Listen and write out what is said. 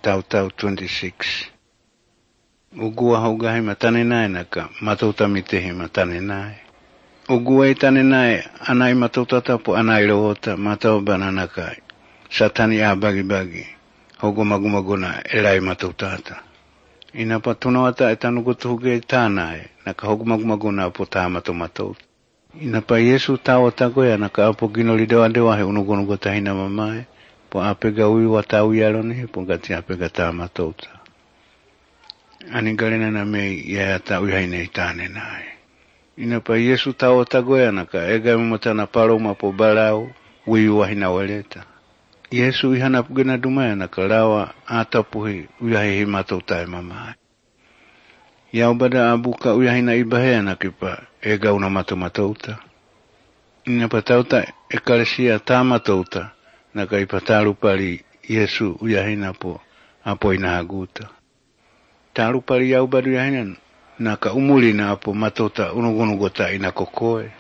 Tau 26. Ugua haugahi matane nai naka matauta mitehi matane nai. Ugua itane nai anai matautata po anai rohota matau bananaka. Satani a bagi. Hogo magumaguna elai matautata. Ina patuna wata etanukutu huge tanai naka hogo magumaguna po ta matauta. Ina pa Yesu tawa tagoya naka apo ginoli dewa he unugonugo tahina mamae. Po apega ui watau yaloni po gati apega ta matauta. Ani galena na mei ya ta ui haine itane nai. Ina pa Yesu tawa tagoya naka ega mmatana paloma po balau ui wahina waleta. Yesu ihana pugena dumaya naka lawa atapuhi ui haini matauta mamae. Ya ubada abuka ui haina ibahea nakipa ega una matauta. Ina pa tauta ekalesia ta matauta. Naka ipataru pali Yesu uyahina po apo inahaguta. Taru pali yau badu yahina naka umuli na apo matota unugunugota inakokoe.